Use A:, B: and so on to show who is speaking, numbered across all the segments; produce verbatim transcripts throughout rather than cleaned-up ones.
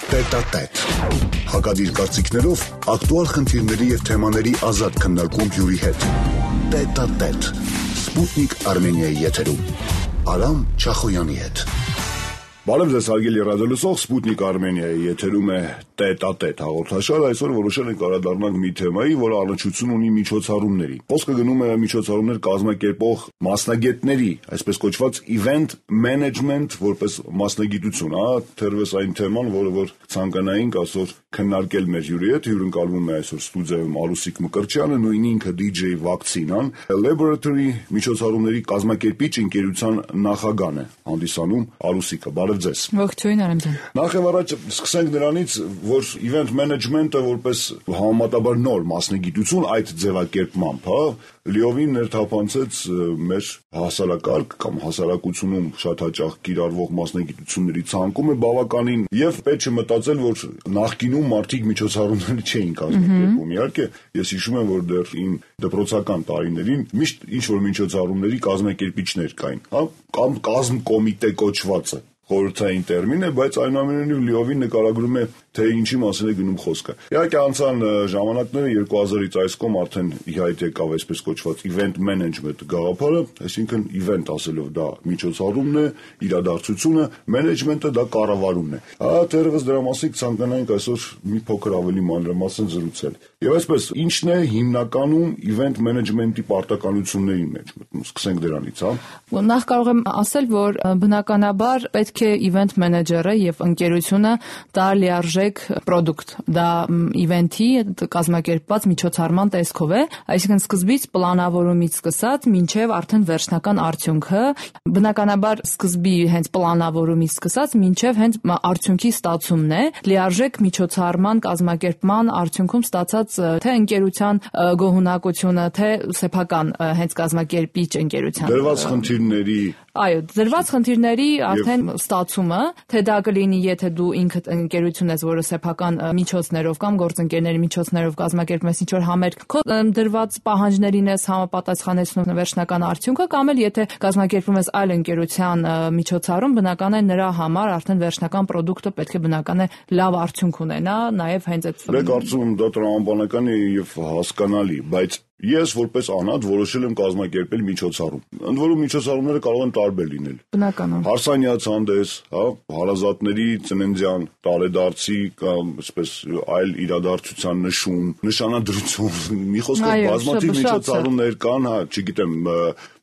A: Տետատետ։ Հակադիր կարծիքներով ակտուալ խնդիրների և թեմաների ազատ քննարկում հյուրի հետ։ Տետատետ։ Սպուտնիկ Արմենիայի եթերում։ Արամ Չախոյանի հետ։ Բարև ձեզ հարգելի ռադիոլսող, Սպուտնիկ Արմենիայի եթերում է Տետատետ հաղորդաշարը։ Այսօր որոշել ենք անդրադառնալ մի թեմայի, որը առնչություն ունի միջոցառումների։ Խոսքը գնում է միջոցառումներ կազմակերպող մասնագետների, այսպես կոչված event management որպես մասնագիտություն, հա, թերևս այն թեման, որը որ ցանկանայինք այսօր քննարկել մեր հյուրի հետ, հյուրընկալվում է այսօր ստուդիայում Արուսիկ Մկրտչյանը, նույն ինքը դի ջեյ Վակցինան, Laboratory միջոցառումների կազմակերպիչ ընկերության նախագահն է հանդիսանում Արուսիկը։ Բարև ձեզ։
B: Ողջույն, Արամ ջան։
A: Նախ եւ առաջ սկսենք նրանից, որ event management-ը որպես համեմատաբար նոր մասնագիտություն այդ ձևակերպմամբ, հա, լիովին ներթափանցեց մեր հասարակարգ կամ հասարակությունում շատ հաճախ կիրառվող մասնագիտությունների ցանկում է բավականին եւ պետք չէ մտածել, որ նախկինում մարդիկ միջոցառումներ չէին կազմակերպում։ Իհարկե, ես հիշում եմ, որ դեռ իմ դպրոցական տարիներին միշտ ինչ որ միջոցառումների կազմակերպիչներ կային, հա, կամ կազմ կոմիտե կոչվածը խորհրդային տերմին է, բայց այնուամենայնիվ լիովին նկարագրում է, թե ինչի մասին է գնում խոսքը։ Իհարկե անցան ժամանակները երկու հազարից այս կողմ արդեն իհայտ եկավ այսպես կոչված event management գաղափարը, այսինքն event ասելով դա միջոցառումն է, իրադարձությունը, management-ը դա կառավարումն է։ Հա, թերևս դրա մասին ցանկանայինք այսօր մի փոքր ավելի մանրամասն զրուցել։ Եվ այսպես, ինչն է հիմնականում event management-ի պարտականությունների մեջ մտնում։ Սկսենք դրանից, հա։
B: Նախ կարող եմ ասել, որ բնականաբար պետք է event manager-ը եւ ընկերությունը դա լիարժեք product, դա event-ի կազմակերպված միջոցառման տեսքով է, այսինքն սկզբից պլանավորումից սկսած մինչեւ արդեն վերջնական արդյունքը, բնականաբար սկզբի հենց պլանավորումից սկսած մինչեւ հենց արդյունքի ստացումն է, լիարժեք միջոցառման կազմակերպման արդյունքում ստացած թե ընկերության գոհունակությունը, թե սեփական հենց կազմակերպիչ ընկերության
A: դրված խնդիրների
B: Այո, դրված խնդիրների արդեն ստացումը, թե դա կլինի, եթե դու ինքդ ընկերություն ես, որը սեփական միջոցներով կամ գործընկերների միջոցներով կազմակերպում ես ինչ-որ համերգ, քո դրված պահանջներին ես համապատասխանեցնում վերջնական արդյունքը, կամ էլ եթե կազմակերպում ես այլ ընկերության միջոցառում, բնական է նրա համար արդեն վերջնական ապրանքը պետք է բնական է լավ արդյունք ունենա, նաև հենց այդ
A: Դե կարծում եմ դա տրամաբանական է եւ հասկանալի, բայց Ես որպես անհատ որոշել եմ կազմակերպել միջոցառում։ Ընդ որում միջոցառումները կարող են տարբեր լինել։
B: Բնական է։
A: Հարսանյաց հանդես, հա, հարազատների ծննդյան, տարեդարձի կամ այսպես այլ իրադարձության նշում, նշանադրություն, մի խոսքով բազմաթիվ միջոցառումներ կան, հա, չգիտեմ,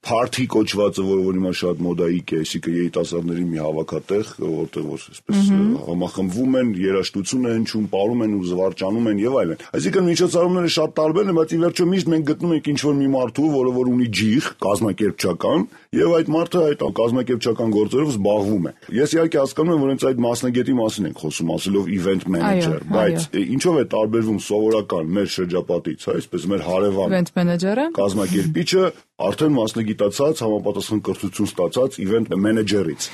A: party կոչվածը, որը որ հիմա շատ մոդայիկ է, այսինքն երիտասարդների մի հավաքատեղ, որտեղ որ այսպես համախմբվում են, երաժշտություն են հնչում, պարում են ու զվարճանում են եւ այլն։ Այսինքն միջոցառումները շատ տարբեր են, բայց ի վերջո միշտ մենք գտնում ենք ինչ-որ մի մարդու, որը որ ունի ջիղ կազմակերպչական, եւ այդ մարդը այդ կազմակերպչական գործերով զբաղվում է։ Ես իհարկե հասկանում եմ, որ հենց այդ մասնագետի մասին ենք խոսում, ասելով event manager, բայց ինչով է տարբերվում սովորական մեր շրջապատից, հա, այսպես մեր հարևան
B: event manager-ը,
A: կազմակերպիչը արդեն մասնագիտացած, համապատասխան կրթություն ստացած event manager-ից։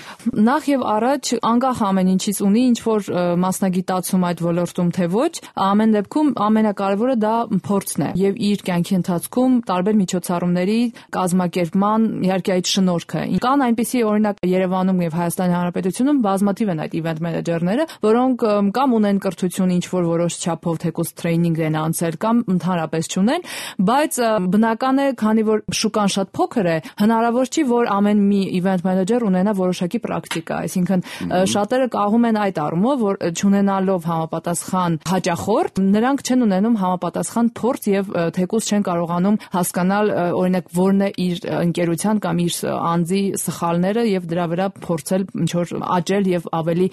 B: Նախ եւ առաջ անկախ ամեն ինչից ունի ինչ որ մասնագիտացում այդ ոլորտում թե ոչ, ամեն դեպքում ամենակարևորը դա փորձն է եւ իր կյանքի ընթացքում տարբեր միջոցառումների կազմակերպման իհարկե այդ շնորհքը։ Կան այնպիսի օրինակ Երևանում եւ Հայաստանի Հանրապետությունում բազմաթիվ են այդ event manager-ները, որոնք կամ ունեն կրթություն ինչ որ որոշ չափով թեկուզ տրեյնինգ են անցել կամ ընդհանրապես չունեն, բայց բնական է, քանի որ շուկան շատ փոքր է, հնարավոր չի, որ ամեն մի event manager ունենա որոշակի պրակտիկա, այսինքն շատերը կաղում են այդ առումով, որ չունենալով համապատասխան հաճախորդ, նրանք չեն ունենում համապատասխան փորձ եւ թեկուզ չեն կարողանում հասկանալ օրինակ որն է իր ընկերության կամ իր անձի սխալները եւ դրա վրա փորձել ինչ որ աճել եւ ավելի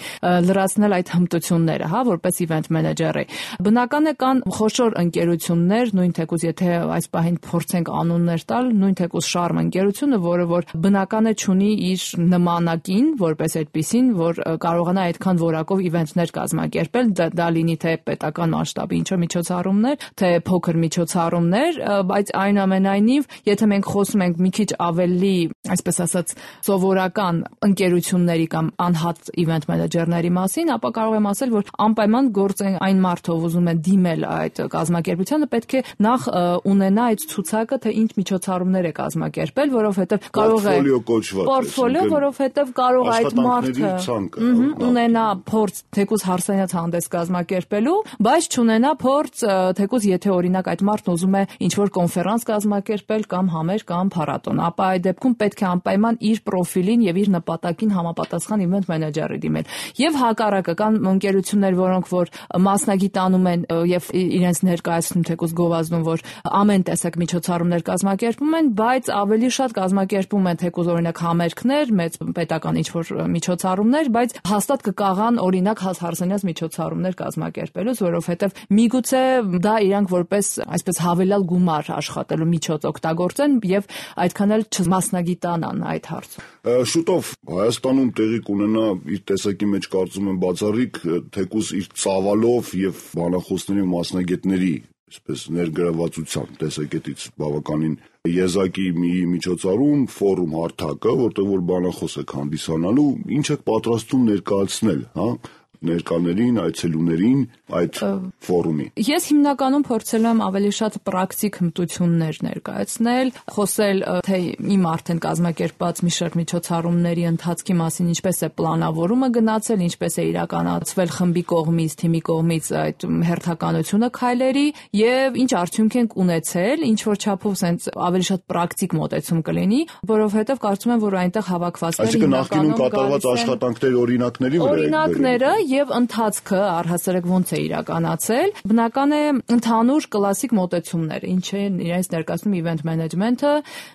B: լրացնել այդ հմտությունները, հա, որպես event manager-ը։ Բնական է կան խոշոր ընկերություններ, նույն թեկուզ եթե այս պահին փորձենք անուններ տալ, նույն թեկուզ շարմ ընկերությունը, որը որ բնական է չունի իր նմանակին, որպես այդպիսին, որ կարողանա այդքան որակով իվենթներ կազմակերպել, դա, դա լինի թե պետական մասշտաբի ինչ-որ միջոցառումներ, թե փոքր միջոցառումներ, բայց այնուամենայնիվ, եթե մենք խոսում ենք մի քիչ ավելի, այսպես ասած, սովորական ընկերությունների կամ անհատ իվենթ մենեջերների մասին, ապա կարող եմ ասել, որ անպայման գործեն այն մարդով ուզում է դիմել այդ կազմակերպությանը, պետք է նախ ունենա այդ ցուցակը, թե ինչ միջոցառումներ միջոցառումներ է կազմակերպել, որովհետև կարող է պորտֆոլիո, որովհետև կարող է այդ մարդը ունենա փորձ թեկուզ հարսանյաց հանդես կազմակերպելու, բայց չունենա փորձ թեկուզ եթե օրինակ այդ մարդն ուզում է ինչ-որ կոնֆերանս կազմակերպել կամ համեր կամ փառատոն, ապա այդ դեպքում պետք է անպայման իր պրոֆիլին եւ իր նպատակին համապատասխան իվենթ մենեջերի դիմել։ Եվ հակառակը կան ընկերություններ, որոնք որ մասնագիտանում են եւ իրենց ներկայացնում թեկուզ գովազդում, որ ամեն տեսակ միջոցառումներ կազմակերպում են, բայց ավելի շատ կազմակերպում են թեկուզ օրինակ համերգներ, մեծ պետական ինչ-որ միջոցառումներ, բայց հաստատ կկաղան օրինակ հարսանյաց միջոցառումներ կազմակերպելուց, որովհետեւ միգուցե դա իրանք որպես այսպես հավելյալ գումար աշխատելու միջոց օգտագործեն եւ այդքան էլ չմասնագիտանան այդ հարցում։
A: Շուտով Հայաստանում տեղի կունենա իր տեսակի մեջ կարծում եմ բացառիկ թեկուզ իր ծավալով եւ բանախոսների մասնագետների այսպես ներգրավվածության տեսակետից բավականին եզակի մի միջոցառում, ֆորում հարթակը, որտեղ որ բանախոս եք հանդիսանալու, ինչ եք պատրաստում ներկայացնել, հա, ներկաներին, այցելուներին այդ ֆորումի։
B: Ես հիմնականում փորձել եմ ավելի շատ պրակտիկ հմտություններ ներկայացնել, խոսել թե իմ արդեն կազմակերպած մի շարք միջոցառումների ընթացքի մասին, ինչպես է պլանավորումը գնացել, ինչպես է իրականացվել խմբի կողմից, թիմի կողմից այդ հերթականությունը քայլերի եւ ինչ արդյունք ենք ունեցել, ինչ որ չափով sense ավելի շատ պրակտիկ մոտեցում կլինի, որովհետեւ կարծում եմ, որ այնտեղ հավաքվածները
A: հիմնականում կատարված աշխատանքների օրինակների վրա
B: օրինակները եւ ընթացքը առհասարակ ոնց է իրականացել, բնական է ընդհանուր կլասիկ մոտեցումներ, ինչ է իրենց ներկայացնում իվենթ մենեջմենթը,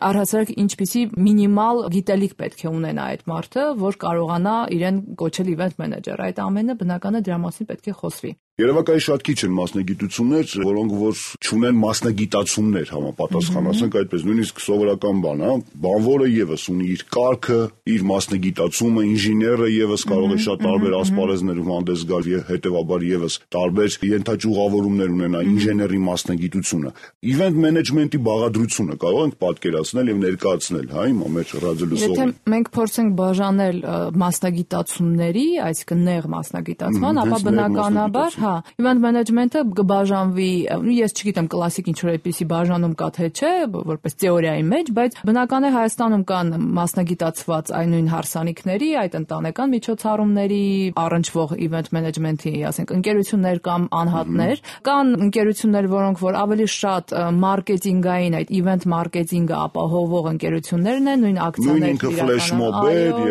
B: առհասարակ ինչպիսի մինիմալ գիտելիք պետք է ունենա այդ մարդը, որ կարողանա իրեն կոչել իվենթ մենեջեր։ Այդ ամենը բնական է դրա մասին պետք է խոսվի։
A: Երևակայի շատ քիչ են մասնագիտություններ, որոնք որ չունեն մասնագիտացումներ համապատասխան, ասենք այդպես, նույնիսկ սովորական բան, հա, բանվորը եւս ունի իր կարգը, իր մասնագիտացումը, ինժեները եւս կարող է շատ տարբեր ասպարեզներում հանդես գալ եւ հետեւաբար եւս տարբեր ենթաճյուղավորումներ ունենա ինժեների մասնագիտությունը։ Իվենթ մենեջմենթի բաղադրությունը կարող ենք պատկերացնել եւ ներկայացնել, հա, հիմա մեր ռադիոլսողին։
B: Եթե մենք փորձենք բաժանել մասնագիտացումների, այսինքն նեղ մասնագիտացման, ապա բնականաբար հա, իվենթ մենեջմենթը կբաժանվի, ես չգիտեմ կլասիկ ինչ-որ այդպիսի բաժանում կա թե չէ, որպես թեորիայի մեջ, բայց բնական է Հայաստանում կան մասնագիտացված այն նույն հարսանիքների, այդ ընտանեկան միջոցառումների առնչվող իվենթ մենեջմենթի, ասենք, ընկերություններ կամ անհատներ, կան ընկերություններ, որոնք որ ավելի շատ մարքեթինգային, այդ իվենթ մարքեթինգը ապահովող ընկերություններն են, նույն ակցիաներ
A: իրականացնող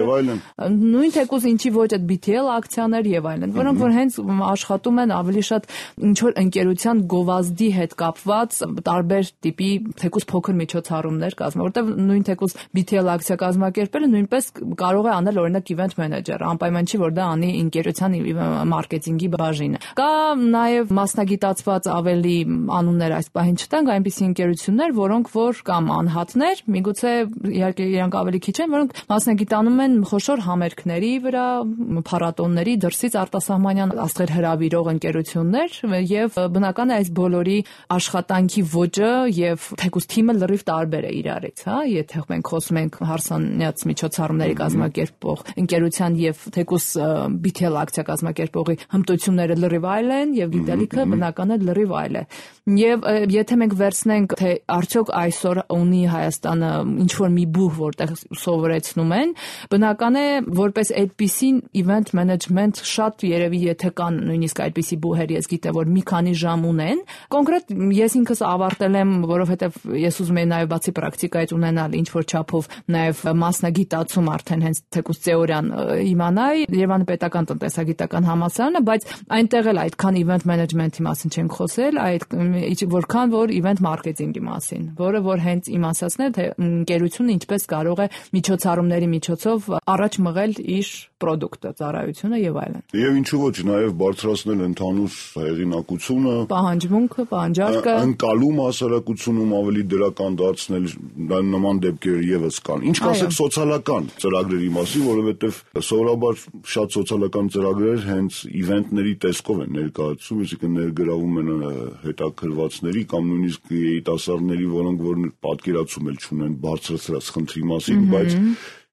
A: եւ այլն։
B: Նույն թեկուզ ինչի ոչ այդ բի թի էլ ակցիաներ եւ այլն, որոնք որ հենց աշխատում են ավելի շատ ինչ-որ ընկերության գովազդի հետ կապված տարբեր տիպի թեկուզ փոքր միջոցառումներ կազմել, որտեղ նույն թեկուզ բի թի էլ ակցիա կազմակերպելը նույնպես կարող է անել օրինակ իվենթ մենեջերը, անպայման չի որ դա անի ընկերության մարքեթինգի բաժինը։ Կա նաև մասնագիտացված ավելի անուններ այս պահին չտանք, այնպիսի ընկերություններ, որոնք որ կամ անհատներ, միգուցե իհարկե իրանք ավելի քիչ են, որոնք մասնագիտանում են խոշոր համերգների վրա, փառատոնների, դրսից արտասահմանյան աստղեր հրավիրող ընկերություններ եւ բնական է այս բոլորի աշխատանքի ոճը եւ թեկուզ թիմը լրիվ տարբեր է իրարից, հա, եթե մենք խոսում ենք հարսանյաց միջոցառումների կազմակերպող ընկերության եւ թեկուզ բի թի էլ ակցիա կազմակերպողի հմտությունները լրիվ այլ են եւ գիտելիքը բնական է լրիվ այլ է։ Եվ եթե մենք վերցնենք թե արդյոք այսօր ունի Հայաստանը ինչ որ մի բուհ, որտեղ սովորեցնում են, բնական է որպես այդպիսին իվենթ մենեջմենթ շատ երևի եթե կան նույնիսկ այդպիսի բուհեր ես գիտեմ որ մի քանի ժամ ունեն, կոնկրետ ես ինքս ավարտել եմ, որովհետեւ ես ուզում եի նաեւ բացի պրակտիկայից ունենալ ինչ որ չափով նաեւ մասնագիտացում արդեն հենց թեկուզ թեորիան իմանայի Երևանի պետական տնտեսագիտական համալսարանը, բայց այնտեղ էլ այդքան իվենթ մենեջմենթի մասին չենք խոսել, այդ որքան որ իվենթ մարքեթինգի մասին, որը որ հենց իմ ասածն է թե ընկերությունը ինչպես կարող է միջոցառումների միջոցով առաջ մղել իր պրոդուկտը, ծառայությունը եւ այլն։
A: Եվ ինչու ոչ նաեւ բարձրացնել ընդհանուր հեղինակությունը,
B: պահանջմունքը, պահանջարկը,
A: ընկալում հասարակությունում ավելի դրական դարձնել, նման դեպքեր եւս կան։ Ինչ կասեք սոցիալական ծրագրերի մասին, որովհետեւ սովորաբար շատ սոցիալական ծրագրեր հենց իվենթների տեսքով են ներկայացում, այսինքն ներգրավում են հետաքրվածների կամ նույնիսկ երիտասարդների, որոնք որ պատկերացում էլ չունեն բարձրացրած խնդրի մասին, բայց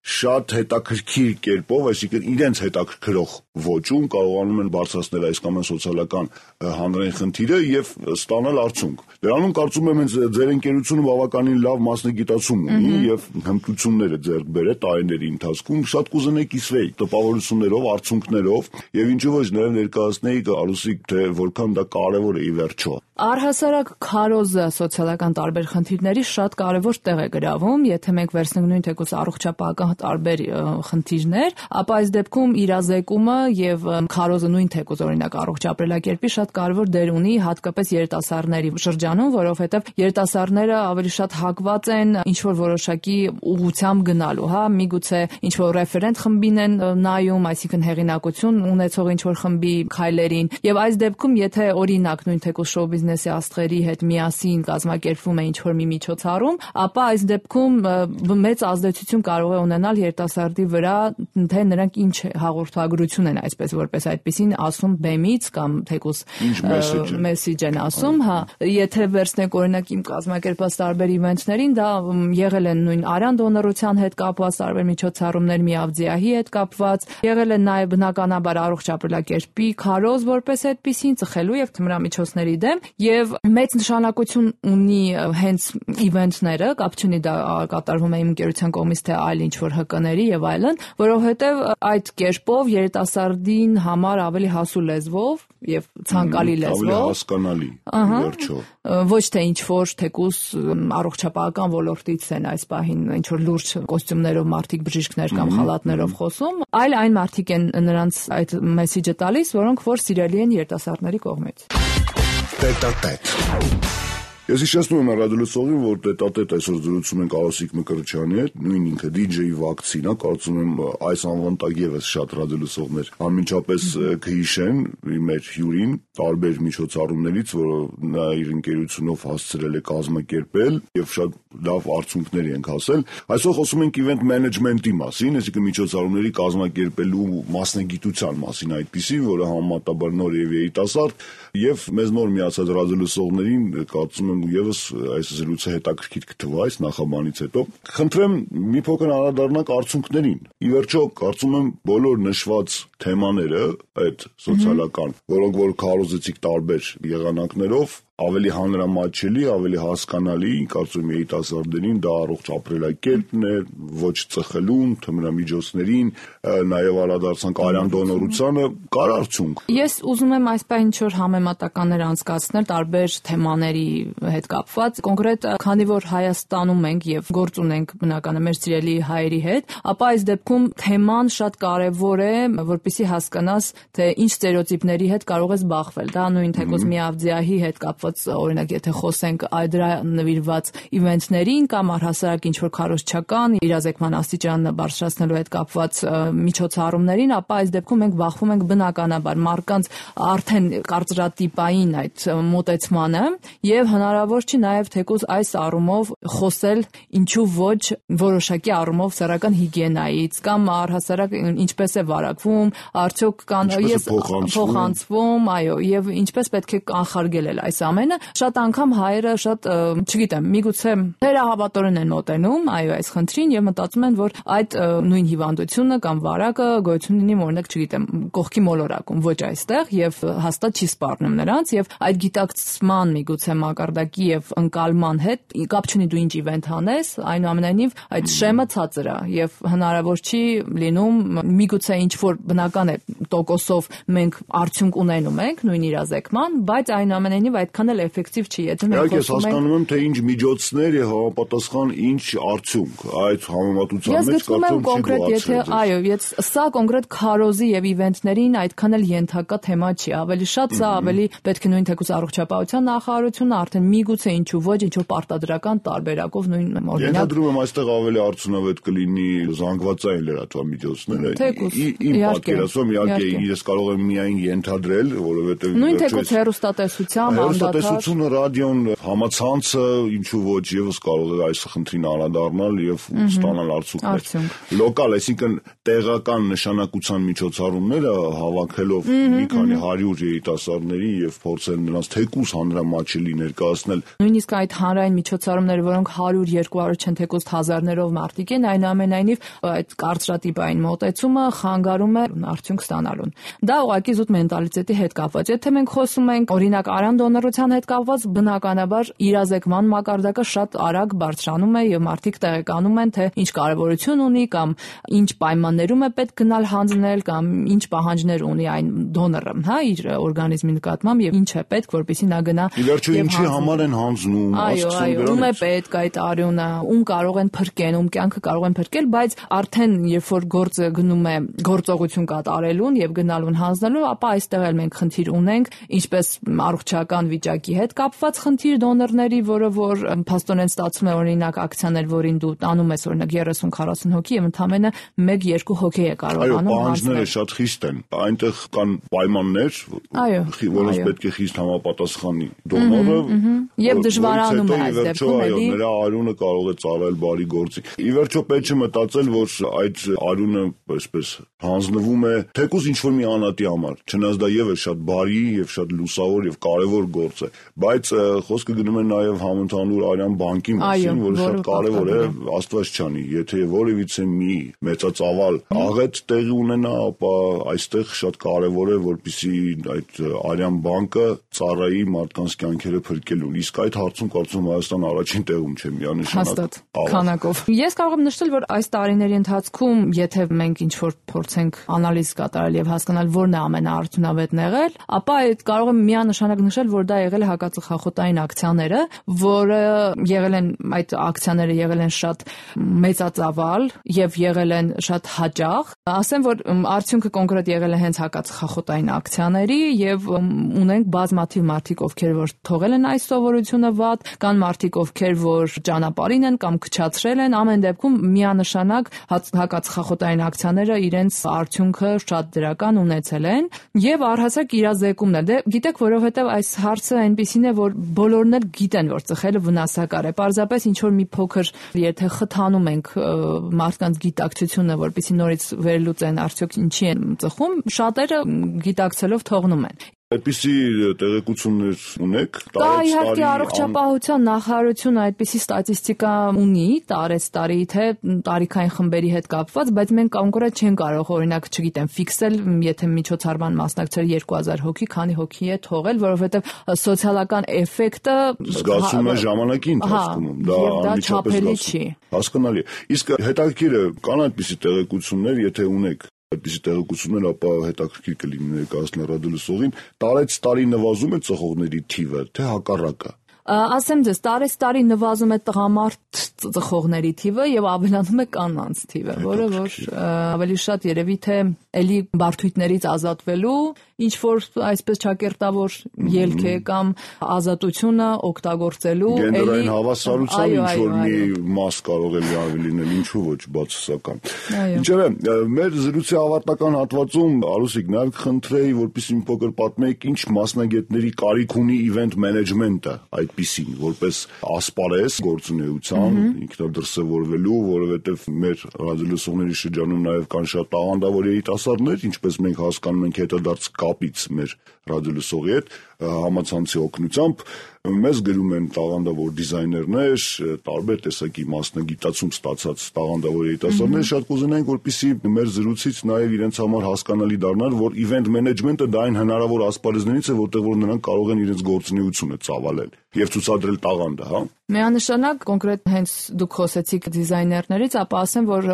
A: շատ հետաքրքիր կերպով, այսինքն իրենց հետաքրքրող ոճում կարողանում են բարձրացնել այս կամ այն սոցիալական հանրային խնդիրը եւ ստանալ արդյունք։ Դրանում կարծում եմ ձեր ընկերությունը բավականին լավ մասնագիտացում ունի եւ հմտությունները ձեռք բերել տարիների ընթացքում, շատ կուզենայի կիսվեի տպավորություններով, արդյունքներով եւ ինչու ոչ նաեւ ներկայացնեի Արուսիկ, թե որքան դա կարեւոր է ի վերջո։
B: Առհասարակ քարոզը սոցիալական տարբեր խնդիրների շատ կարևոր տեղ է գրավում, եթե մենք վերցնենք նույն թեկուզ առողջապահական տարբեր խնդիրներ, ապա այս դեպքում իրազեկումը եւ քարոզը նույն թեկուզ օրինակ առողջ ապրելակերպի շատ կարևոր դեր ունի, հատկապես երիտասարդների շրջանում, որովհետեւ երիտասարդները ավելի շատ հակված են ինչ որ որոշակի ուղղությամբ գնալու, հա, միգուցե ինչ որ ռեֆերենտ խմբին են նայում, այսինքն հեղինակություն ունեցող ինչ որ խմբի քայլերին, եւ այս դեպքում եթե օրինակ նույն թեկուզ շոու բիզնեսի աստղերի հետ միասին կազմակերպվում է ինչ որ մի միջոցառում, ապա այս դեպքում մեծ ազդեցություն կարող է ունենալ երիտասարդի վրա, թե նրանք ինչ հաղորդագրություն են այսպես որպես այդպեսին ասում բեմից կամ թեկուզ մեսեջ են ասում, հա, եթե վերցնենք օրինակ իմ կազմակերպած տարբեր իվենթներին, դա եղել են նույն արյան դոնորության հետ կապված տարբեր միջոցառումներ, միավձիահի հետ կապված, եղել են նաև բնականաբար առողջ ապրելակերպի քարոզ որպես այդպեսին ծխելու եւ թմրամիջոցների դեմ եւ մեծ նշանակություն ունի հենց իվենթները, կապ չունի դա կատարվում է իմ ընկերության կողմից թե այլ ինչ որ հկների եւ այլն, որովհետեւ այդ կերպով երիտասարդին համար ավելի հասու լեզվով եւ ցանկալի լեզվով,
A: ավելի հասկանալի վերջո,
B: ոչ թե ինչ որ թեկուս առողջապահական ոլորտից են այս պահին ինչ որ լուրջ կոստյումներով մարդիկ բժիշկներ կամ խալաթներով խոսում, այլ այն մարդիկ են նրանց այդ մեսեջը տալիս, որոնք որ սիրելի են երիտասարդների կողմից։
A: Տետատետ։ Ես հիշեցնում եմ ռադիոլսողին, որ տետատետ այսօր զրուցում ենք Արուսիկ Մկրտչյանի հետ, նույն ինքը դի ջեյ Վակցին է, կարծում եմ այս անվան տակ եւս շատ ռադիոլսողներ անմիջապես կհիշեն մեր հյուրին տարբեր միջոցառումներից, որը նա իր ընկերությունով հասցրել է կազմակերպել եւ շատ լավ արդյունքների ենք հասել։ Այսօր խոսում ենք իվենթ մենեջմենտի մասին, այսինքն միջոցառումների կազմակերպելու մասնագիտության մասին, այդպիսի, որը համեմատաբար նոր եւ երիտասարդ եւ մեզ նոր միացած ռադիոլսողներին կարծում եմ Եվս այս զրույցը հետաքրքիր կթվա այս նախաբանից հետո խնդրեմ մի փոքր անդրադառնանք արդյունքներին։ Ի վերջո կարծում եմ բոլոր նշված թեմաները այդ սոցիալական, որոնք որ քարոզեցիք տարբեր եղանակներով ավելի հանրամատչելի, ավելի հասկանալի, կարծում եմ երիտասարդներին դա առողջ ապրելակերպն է, ոչ ծխելուն, թմրամիջոցներին, նաև անդրադարձանք արյան դոնորությանը, կար արդյունք։
B: Ես ուզում եմ այս պահին ինչ որ համեմատականներ անցկացնել տարբեր թեմաների հետ կապված, կոնկրետ քանի որ Հայաստանում ենք եւ գործ ունենք բնականաբար մեր սիրելի հայերի հետ, ապա այս դեպքում թեման շատ կարեւոր է, որպեսզի հասկանաս, թե ինչ ստերեոտիպների հետ կարող ես բախվել։ Դա նույն թեկուզ միավձիահի հետ կապված օրինակ եթե խոսենք դրա նվիրված իվենթներին կամ առհասարակ ինչ որ քարոզչական իրազեկման աստիճանը բարձրացնելու հետ կապված միջոցառումներին, ապա այս դեպքում մենք բախվում ենք բնականաբար մարդկանց արդեն կարծրատիպային այդ մոտեցմանը եւ հնարավոր չի նաեւ թեկուզ այս առումով խոսել ինչու ոչ որոշակի առումով սեռական հիգիենայից կամ առհասարակ ինչպես է վարակվում, արդյոք կան ես փոխանցվում, այո, եւ ինչպես պետք է կանխարգելել այս ամենը։ Շատ անգամ հայերը շատ, չգիտեմ, միգուցե թերահավատորեն են մոտենում, այո, այս խնդրին եւ մտածում են, որ այդ նույն հիվանդությունը կամ վարակը գոյություն ունի, օրինակ, չգիտեմ, կողքի մոլորակում, ոչ այստեղ եւ հաստատ չի սպառնում նրանց եւ այդ գիտակցման միգուցե մակարդակի եւ ընկալման հետ կապ չունի դու ինչ իվենթ անես, այնուամենայնիվ այդ շեմը ցածր է եւ հնարավոր չի լինում միգուցե ինչ որ բնական է տոկոսով մենք արդյունք ունենում ենք նույն իրազեկման, բայց այնուամենայնիվ այդքան էլ էֆեկտիվ չի, եթե մենք
A: խոսում ենք։ Ես հասկանում եմ, թե ինչ միջոցներ եւ համապատասխան ինչ արդյունք այդ համեմատության մեջ կարծում եմ
B: կոնկրետ, եթե այո, ես սա կոնկրետ քարոզի եւ իվենթներին այդքան էլ ենթակա թեմա չի, ավելի շատ սա ավելի պետք է նույն թեկուզ առողջապահության նախարարությունը արդեն միգուցե ինչու ոչ ինչ որ պարտադրական տարբերակով նույն օրինակ։
A: Ենթադրում եմ այստեղ ավելի արդյունավետ կլինի զանգվածային լրատվամիջոցները։ Իմ պատկերացում իհարկե ես կարող եմ միայն ենթադրել, որովհետեւ
B: նույն թեկուզ հեռուստատեսությամբ,
A: Գեղեցկատեսությունը, ռադիոն, համացանցը, ինչու ոչ, եւս կարող է այս խնդրին անդրադառնալ եւ ստանալ արդյունքներ։ Լոկալ, այսինքն տեղական նշանակության միջոցառումները հավաքելով մի քանի հարյուր երիտասարդների եւ փորձել նրանց թեկուզ հանրամատչելի ներկայացնել։
B: Նույնիսկ այդ հանրային միջոցառումները, որոնք հարյուր երկու հարյուր չեն թեկուզ հազարներով մարդիկ են, այնուամենայնիվ այդ կարծրատիպային մոտեցումը խանգարում է արդյունք ստանալուն։ Դա ուղղակի զուտ մենտալիտետի հետ կապված։ Եթե մենք խոսում ենք օրինակ արյան դոնորության հետ կապված, բնականաբար իրազեկման մակարդակը շատ արագ բարձրանում է եւ մարդիկ տեղեկանում են, թե ինչ կարեւորություն ունի կամ ինչ պայմաններում է պետք գնալ հանձնել կամ ինչ պահանջներ ունի այն դոնորը, հա, իր օրգանիզմի նկատմամբ եւ ինչ է պետք, որպեսզի նա գնա։
A: Ի վերջո ինչի համար են հանձնում,
B: այո, այո, ում է պետք այդ արյունը, ում կարող են փրկեն, ում կյանքը կարող են փրկել, բայց արդեն երբ որ գործը գնում է գործողություն կատարելուն եւ գնալուն հանձնելու, ապա այստեղ էլ մենք խնդիր ունենք, ինչպես առողջական վիճակի հետ կապված խնդիր դոնորների, որը որ փաստորեն ստացվում է օրինակ ակցիաներ, որին դու տանում ես օրինակ երեսուն քառասուն հոգի եւ ընդամենը մեկ երկու հոգի է կարողանում
A: հանձնել։ Այո, պահանջները շատ խիստ են։ Այնտեղ կան պայմաններ, որոնց պետք է խիստ համապատասխանի դոնորը
B: եւ դժվարանում է այս դեպքում
A: էլի։ Նրա արյունը կարող է ծառայել բարի գործի։ Ի վերջո պետք է մտածել, որ այդ արյունը այսպես հանձնվում է թեկուզ ինչ-որ մի անհատի համար, չնայած դա եւս շատ բարի եւ շատ լուսավոր եւ կարեւոր գործ է, բայց խոսքը գնում է նաեւ համընդհանուր արյան բանկի մասին, որը շատ կարեւոր է, Աստված չանի, եթե որևիցե մի մեծածավալ աղետ տեղի ունենա, ապա այստեղ շատ կարեւոր է, որպեսզի այդ արյան բանկը ծառայի մարդկանց կյանքերը փրկելուն։ Իսկ այդ հարցում կարծում Հայաստանը առաջին տեղում չէ, միանշանակ
B: քանակով։ Ես կարող եմ նշել, որ այս տարիների ընթացքում, եթե մենք ինչ-որ փորձենք անալիզ կատարել եւ հասկանալ որն է ամենաարդյունավետն եղել, ապա այդ կարող եմ միանշանակ նշել, որ դա եղել է հակածխախոտային ակցիաները, որը եղել են այդ ակցիաները եղել են շատ մեծածավալ եւ եղել են շատ հաճախ։ Ասեմ, որ արդյունքը կոնկրետ եղել է հենց հակածխախոտային ակցիաների եւ ունենք բազմաթիվ մարդիկ, ովքեր որ թողել են այս սովորությունը վատ, կան մարդիկ, ովքեր որ ճանապարհին են կամ քչացրել են, ամեն դեպքում միանշանակ հակածխախոտային ակցիաները իրենց արդյունքը շատ դրական ունեցել են եւ առհասարակ իրազեկումն է։ Դե գիտեք, որովհետեւ այս հարցը այնպեսին է, որ բոլորն էլ գիտեն, որ ծխելը վնասակար է։ Պարզապես ինչ որ մի փոքր եթե խթանում ենք մարդկանց գիտակցությունը, որպեսզի նորից վերլուծեն արդյոք ինչի են ծխում, շատերը գիտակցելով թողնում են։
A: Այդպիսի տեղեկություններ ունեք։
B: Դա իհարկե առողջապահության նախարարությունը այդպիսի ստատիստիկա ունի տարեցտարի, թե տարիքային խմբերի հետ կապված, բայց մենք կոնկրետ չեն կարող օրինակ, չգիտեմ, ֆիքսել, եթե միջոցառման մասնակցել երկու հազար հոգի, քանի հոգի է թողել, որովհետև սոցիալական էֆեկտը
A: զգացվում է ժամանակի ընթացքում, դա անմիջապես չի։ Հասկանալի է։ Իսկ հետաքրքիր է, կան այդպիսի տեղեկություններ, եթե ունեք այդպիսի տեղեկություններ, ապա հետաքրքիր կլինի ներկայացնել ռադիոլսողին, տարեց տարի նվազում է ծխողների թիվը, թե հակառակը։
B: Ասեմ ձեզ, տարեց տարի նվազում է տղամարդ ծխողների թիվը եւ ավելանում է կանանց թիվը, որը որ ավելի շատ երևի թե էլի բարդույթներից ազատվելու ինչ որ այսպես ճակերտավոր ելք է կամ ազատությունը օգտագործելու
A: էլի գենդերային հավասարության ինչ որ մի մաս կարող է լավ լինել, ինչու ոչ բացասական։ Ինչևէ, մեր զրույցի ավարտական հատվածում Արուսիկ նաև կխնդրեի, որպեսզի մի փոքր պատմեք, ինչ մասնագետների կարիք ունի event management-ը այդպիսին, որպես ասպարեզ գործունեության ինքնադրսևորվելու, որովհետև մեր ռադիոլսողների շրջանում նաև կան շատ տաղանդավոր երիտասարդներ, ինչպես մենք հասկանում ենք հետադարձ կապից մեր ռադիոլսողի հետ համացանցի օգնությամբ մեզ գրում են տաղանդավոր դիզայներներ, տարբեր տեսակի մասնագիտացում ստացած տաղանդավոր երիտասարդներ, շատ կուզենայինք, որպեսզի մեր զրույցից նաև իրենց համար հասկանալի դառնար, որ event management-ը դա այն հնարավոր ասպարեզներից է, որտեղ որ նրանք կարող են իրենց գործունեությունը ծավալել եւ ցուցադրել տաղանդը, հա։
B: Միանշանակ կոնկրետ հենց դուք խոսեցիք դիզայներներից, ապա ասեմ, որ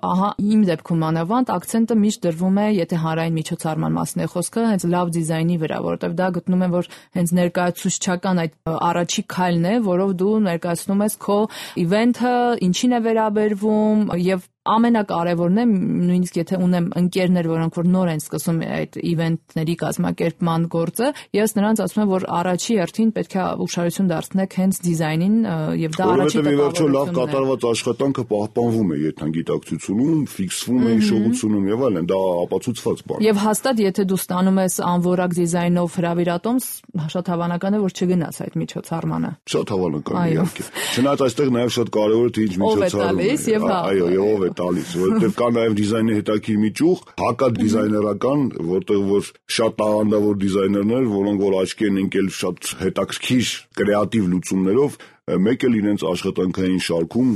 B: ահա իմ դեպքում անավանդ ակցենտը միշտ դրվում է, եթե հանրային միջոցառման մասն է խոսքը, հենց լավ դիզայնի վրա, որովհետև դա գտնում եմ, որ հենց ներկայացուցչական այդ առաջի քայլն է, որով դու ներկայացնում ես քո իվենթը, ինչին է վերաբերվում եւ ամենակարևորն է, նույնիսկ եթե ունեմ ընկերներ, որոնք որ նոր են սկսում այդ իվենթների կազմակերպման գործը, ես նրանց ասում եմ, որ առաջի հերթին պետք է ուշադրություն դարձնեք հենց դիզայնին եւ դա առաջի
A: տպավորությունն է։ Լավ կատարված աշխատանքը պահպանվում է երթանգիտակցությունում, ֆիքսվում է հիշողությունում եւ այլն, դա ապացուցված բան է։
B: Եվ հաստատ եթե դու ստանում ես անվորակ դիզայնով հրավիրատոմս, շատ հավանական է, որ չգնաս այդ միջոցառմանը։
A: Շատ հավանական է, իհարկե։ Չնայած այստեղ նաեւ շատ կարեւոր է թե ինչ միջոցառում է։ Այո, եւ ով է տալիս, որովհետեւ կա նաեւ դիզայնի հետաքրքիր մի ճյուղ, հակադիզայներական, որտեղ որ շատ տաղանդավոր դիզայներներ, որոնք որ աչքի են ընկել շատ հետաքրքիր կրեատիվ լուծումներով, մեկ էլ իրենց աշխատանքային շարքում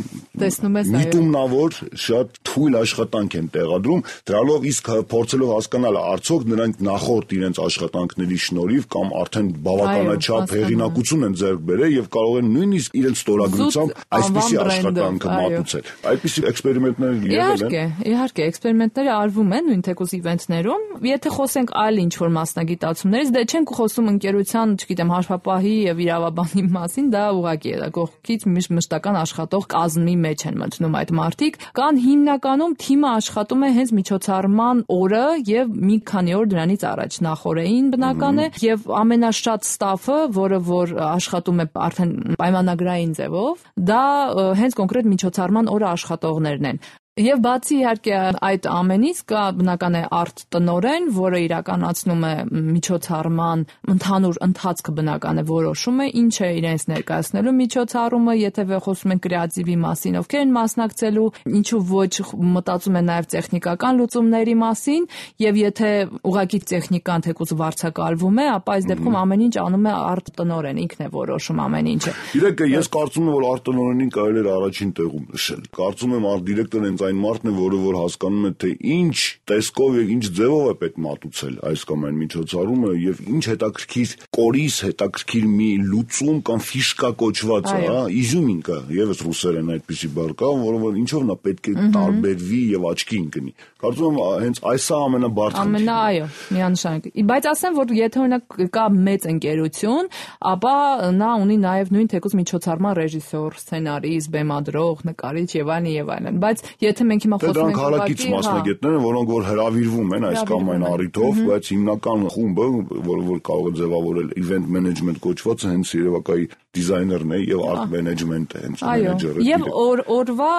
A: միտումնավոր շատ թույլ աշխատանք են տեղադրում, դրանով իսկ փորձելով հասկանալ արդյոք նրանք նախորդ իրենց աշխատանքների շնորհիվ կամ արդեն բավականաչափ հեղինակություն են ձեռք բերել եւ կարող են նույնիսկ իրենց ստորագրությամբ այսպիսի աշխատանքը մատուցել։ Այդպիսի էքսպերիմենտներ եղել են։
B: Իհարկե, իհարկե, էքսպերիմենտները արվում են նույն թեկուզ իվենթներում։ Եթե խոսենք այլ ինչ-որ մասնագիտացումներից, դե չենք խոսում ընկերության, չգիտեմ, հաշվապահի եւ իրավաբանի մասին, դա ուղղակի է, կողքից մշտական աշխատող կազմի մեջ են մտնում այդ մարդիկ, կան հիմնականում թիմը աշխատում է հենց միջոցառման օրը եւ մի քանի օր դրանից առաջ նախորդին բնական է եւ ամենաշատ ստաֆը, որը որ աշխատում է արդեն պայմանագրային ձևով, դա հենց կոնկրետ միջոցառման օրը աշխատողներն են։ Եվ բացի իհարկե այդ ամենից կա բնական է արտ տնօրեն, որը իրականացնում է միջոցառման ընդհանուր ընթացքը բնական է որոշում է, ինչ է իրենց ներկայացնելու միջոցառումը, եթե խոսում են կրեատիվի մասին, ովքեր են մասնակցելու, ինչու ոչ մտածում են նաև տեխնիկական լուծումների մասին, եւ եթե ուղղակի տեխնիկան թեկուզ վարձակալվում է, ապա այս դեպքում ամեն ինչ անում է արտ տնօրեն, ինքն է որոշում ամեն ինչը։
A: Իրեկը ես կարծում եմ, որ արտ տնօրենին կարելի է առաջին տեղում նշել։ Կարծում եմ արտ դիրեկտորն այն մարդն է, որը որ հասկանում է, թե ինչ տեսքով եւ ինչ ձևով է պետք մատուցել այս կամ այն միջոցառումը եւ ինչ հետաքրքիր կորիս, հետաքրքիր մի լուծում կամ ֆիշկա կոչված է, հա, իզյումինկա, եւս ռուսերեն այդպիսի բառ կա, որը որ ինչով նա պետք է տարբերվի եւ աչքի ընկնի։ Կարծում եմ հենց այս է ամենաբարձր խնդիրը։
B: Ամենա, այո, միանշանակ։ Բայց ասեմ, որ եթե օրինակ կա մեծ ընկերություն, ապա նա ունի նաեւ նույն թեկուզ միջոցառման ռեժիսոր, սցենարիստ, բեմադրող, նկարիչ եւ այլն եւ այլն։ Բայց եթե մենք հիմա խոսում ենք
A: հարակից մասնագետներ, որոնք որ հրավիրվում են այս կամ այն առիթով, բայց հիմնական խումբը, որը որ կարող է ձևավորել event management կոչվածը, հենց երևակայի դիզայներն է եւ art management-ը, հենց մենեջերը։
B: Եվ օրվա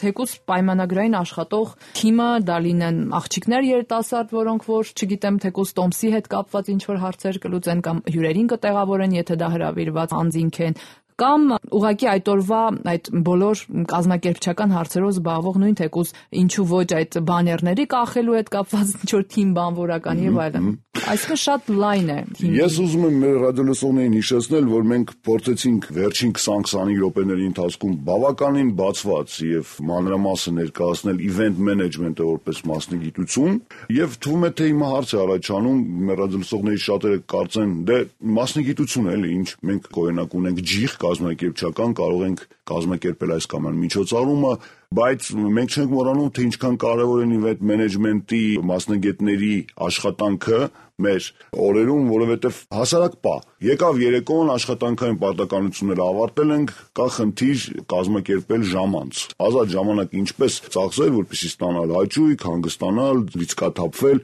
B: թեկուզ պայմանագրային աշխատող թիմը դա լինեն աղջիկներ երիտասարդ, որոնք որ, չգիտեմ, թեկուզ տոմսի հետ կապված ինչ որ հարցեր կլուծեն կամ հյուրերին կտեղավորեն, եթե դա հրավիրված անձինք են, կամ ուղղակի այդ օրվա այդ բոլոր կազմակերպչական հարցերով զբաղվող նույն թեկուզ ինչու ոչ այդ բաներների կախելու հետ կապված ինչ-որ թիմ բանվորական եւ այլն։ Այսինքն շատ լայն է։
A: Ես ուզում եմ մեր ռադիոլսողներին հիշեցնել, որ մենք փորձեցինք վերջին քսան-քսանհինգ րոպեների ընթացքում բավականին բացված եւ մանրամասն ներկայացնել event management-ը որպես մասնագիտություն, եւ թվում է թե հիմա հարց է առաջանում, մեր ռադիոլսողների շատերը կարծեն, դե մասնագիտություն էլի, ինչ մենք օրինակ ունենք ջիղ կազմակերպչական, կարող ենք կազմակերպել այս կամ այն միջոցառումը, բայց մենք չենք մոռանում, թե ինչքան կարևոր է event management-ի մասնագետների աշխատանքը մեր օրերում, որովհետև հասարակ պա եկավ երեկոն աշխատանքային պարտականությունները ավարտել ենք, կա խնդիր կազմակերպել ժամանց, ազատ ժամանակ ինչպես ծախսել, որպեսզի ստանալ հաճույք, հանգստանալ, լիցքաթափվել,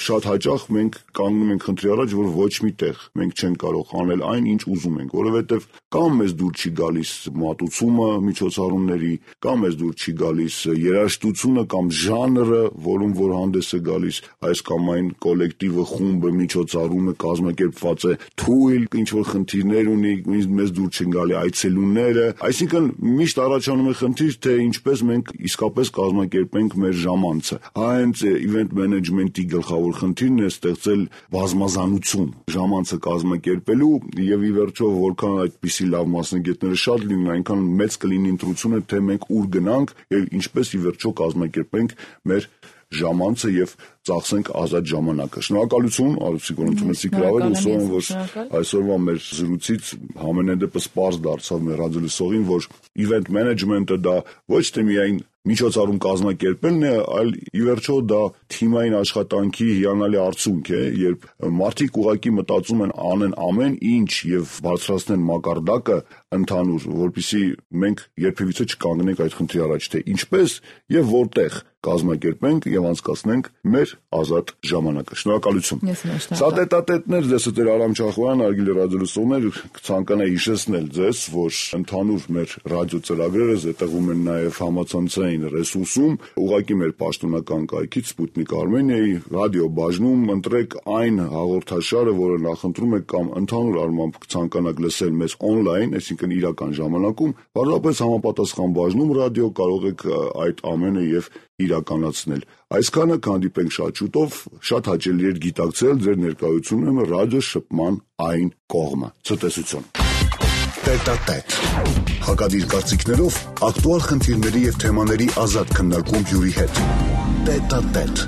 A: շատ հաճախ մենք կանգնում ենք խնդրի առաջ, որ ոչ մի տեղ մենք չենք կարող անել այն, ինչ ուզում ենք, որովհետև կամ մեզ դուր չի գալիս մատուցումը միջոցառումների, կամ մեզ դուր չի գալիս երաժշտությունը կամ ժանրը, որում որ հանդես է գալիս այս կամ այն կոլեկտիվը, խումբը, միջոցառումը կազմակերպված է թույլ, ինչ որ խնդիրներ ունի, մեզ դուր չեն գալի այցելուները, այսինքն միշտ առաջանում է խնդիր, թե ինչպես մենք իսկապես կազմակերպենք մեր ժամանցը։ Հենց event management-ի գլխավոր խնդիրն է ստեղծել բազմազանություն ժամանցը կազմակերպելու եւ ի վերջո որքան այդպիսի լավ մասնագետները շատ լինեն, այնքան մեծ կլինի ընտրությունը, թե մենք ուր գնանք եւ ինչպես ի վերջո կազմակերպենք մեր ժամանցը եւ ծախսենք ազատ ժամանակը։ Շնորհակալություն, Արուսիկ, որ ընդունեցիք հրավերը, հուսով եմ, որ այսօրվա մեր զրույցից համենայն դեպս պարզ դարձավ մեր ռադիոլսողին, որ event management-ը դա ոչ թե միայն միջոցառում կազմակերպելն է, այլ ի վերջո դա թիմային աշխատանքի հիանալի արդյունք է, երբ մարդիկ ուղղակի մտածում են անեն ամեն ինչ եւ բարձրացնեն մակարդակը ընդհանուր, որպեսզի մենք երբևիցե չկանգնենք այդ խնդրի առաջ, թե ինչպես եւ որտեղ կազմակերպենք եւ անցկացնենք մեր ազատ ժամանակը։ Շնորհակալություն։ Սա տետատետներ ձեզ դեր Արամ Չախոյան, Արգիլ ռադիոլսողներ, կցանկանայի հիշեցնել ձեզ, որ ընդհանուր մեր ռադիո ծրագրերը զետեղում են նաեւ համացանցային ռեսուրսում, ուղղակի մեր պաշտոնական կայքից Sputnik Armenia-ի ռադիո բաժնում ընտրեք այն հաղորդաշարը, որը նախընտրում եք կամ ընդհանուր առմամբ կցանկանաք լսել մեզ on-line, այսինքն իրական ժամանակում, բարձրապես համապատասխան բաժնում ռադիո կարող եք այդ ամենը եւ իրականացնել։ Այսքանը կհանդիպենք շատ շուտով, շատ հաճելի էր գիտակցել ձեր ներկայությունը ռադիո շփման այն կողմը։ Ցտեսություն։ Տետատետ։ Հակադիր կարծիքներով ակտուալ խնդիրների եւ թեմաների ազատ քննարկում հյուրի հետ։ Տետատետ։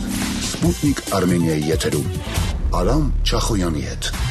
A: Sputnik Armenia-ի եթերում Արամ Չախոյանի հետ։